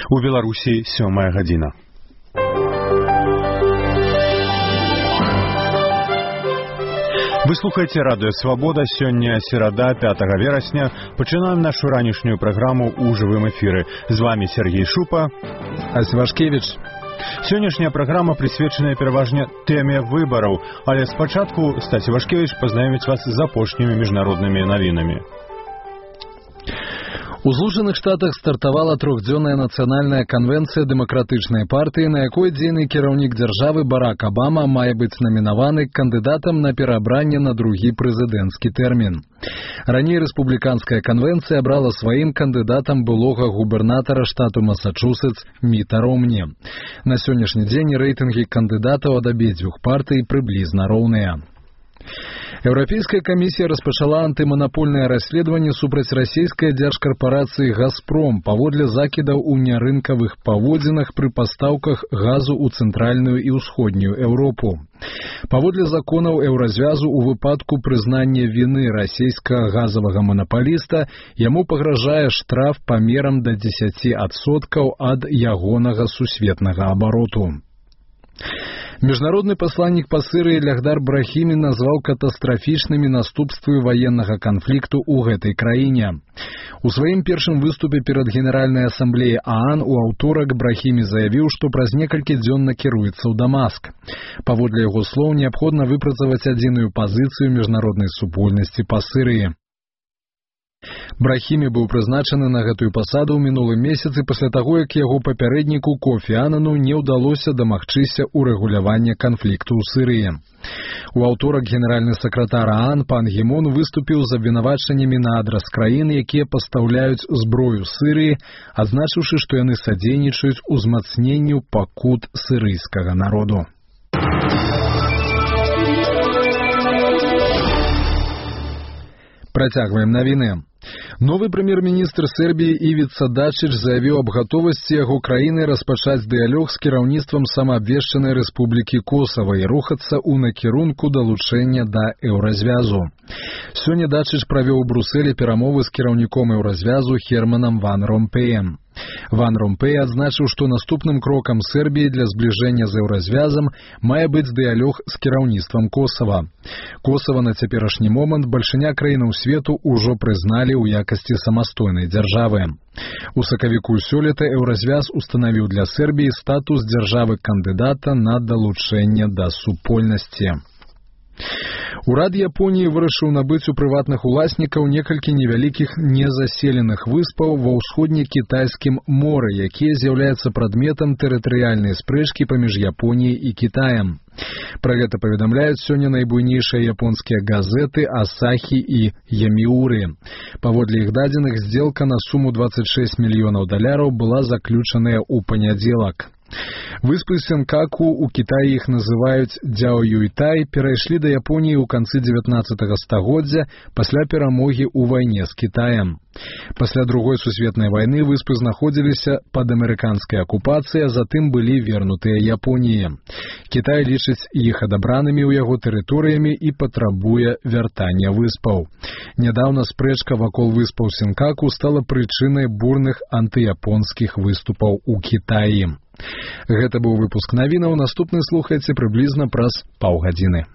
У Беларусі 7 гадзіна. Вы слухаеце радыё «Свабода». Сёння серада, 5 верасня. Пачынаем нашу ранішнюю праграму ў жывым эфіры. З вами Сергей Шупа. Асвашкевіч. Сённяшняя праграма прысвечаная пераважна тэме выбараў, але спачатку Стасі Вашкевіч пазнаёміць вас з апошнімі міжнароднымі навінамі. У Злучаных Штатах стартавала трохдзённая нацыянальная канвенцыя дэмакратычнай партыі, на якой дзейны кіраўнік дзяржавы Барак Абама мае быць намінаваны кандыдатам на пераабранне на другі прэзідэнцкі тэрмін. Раней рэспубліканская канвенцыя абрала сваім кандыдатам былога губернатара штату Масачусетс Міта Ромні. На сённяшні дзень рэйтынгі кандыдатаў ад абедзвюх партый прыблізна роўныя. Еўрапейская камісія распачала антыманапольнае расследаванне супраць расійскай дзяржкарпарацыі «Газпром» паводле закідаў у нярынкавых паводзінах пры пастаўках газу ў цэнтральную і ўсходнюю Еўропу. Паводле законаў еўразвязу у выпадку прызнання віны расійскага газавага манапаліста яму пагражае штраф памерам да 10% ад ягонага сусветнага абароту. Міжнародны пасланнік па Сырыі Лягдар Брахімі назваў катастрафічнымі наступствы ваеннага канфлікту ў гэтай краіне. У сваім першым выступе перад Генеральнай асамблеяй ААН у аўторак Брахімі заявіў, што праз некалькі дзён накіруецца ў Дамаск. Паводле яго слоў, неабходна выпрацаваць адзіную пазіцыю міжнароднай супольнасці па Сырыі. Брахімі быў прызначаны на гэтую пасаду ў минулым месяцы пасля таго, як яго папярэдніку Кофі Анану не ўдалося дамагчыся урэгулявання канфлікту ў Сырыі. У аўторак генеральны сакратар ААН пан Гі Мун выступіў з абвінавачаннямі на адрас краін, якія пастаўляюць зброю Сырыі, адзначыўшы, што яны садзейнічаюць узмацненню пакут сырыйскага народу. Працягваем навіны. Новы прэм'ер-міністр Сербіі Івіца Дачыч заявіў аб гатовасці яго краіны распачаць дыялог з кіраўніцтвам самаабвешчанай рэспублікі Косава і рухацца ў накірунку далучэння да еўразвязу. Сёння Дачыч правёў у Брусэлі перамовы з кіраўніком еўразвязу Херманам Ван Ромпеем. Ван Ромпей адзначыў, што наступным крокам Сербіі для збліжэння з еўразвязам мае быць дыялог з кіраўніцтвам Косава. Косава на цяперашні момант бальшыня краінаў свету ўжо прызналі ў якасці самастойнай дзяржавы. У сакавіку сёлета еўразвяз устанавіў для Сербіі статус дзяржавы-кандыдата на далучэнне да супольнасці. Урад Японіі вырашыў набыць у прыватных уласнікаў некалькі невялікіх незаселеных выспаў ва ўсходне-кітайскім моры, якія з'яўляюцца прадметам тэрытарыяльнай спрэчкі паміж Японіяй і Кітаем. Пра гэта паведамляюць сёння найбуйнейшыя японскія газеты «Асахі» і «Яміуры». Паводле іх дадзеных, здзелка на суму $26 мільёнаў была заключаная ў панядзелак. Выспы Сенкаку, у Кітаі іх называюць Дзяоюйтай, перайшлі да Японіі ў канцы 19 стагоддзя пасля перамогі ў вайне з Кітаем. Пасля Другой сусветнай вайны выспы знаходзіліся пад амерыканскай акупацыяй, а затым былі вернутыя Японіі. Кітай лічыць іх адабранымі ў яго тэрыторыямі і патрабуе вяртання выспаў. Нядаўна спрэчка вакол выспаў Сенкаку стала прычынай бурных антыяпонскіх выступаў у Кітаі. Гэта быў выпуск навінаў, наступны слухайце прыблізна праз паўгадзіны.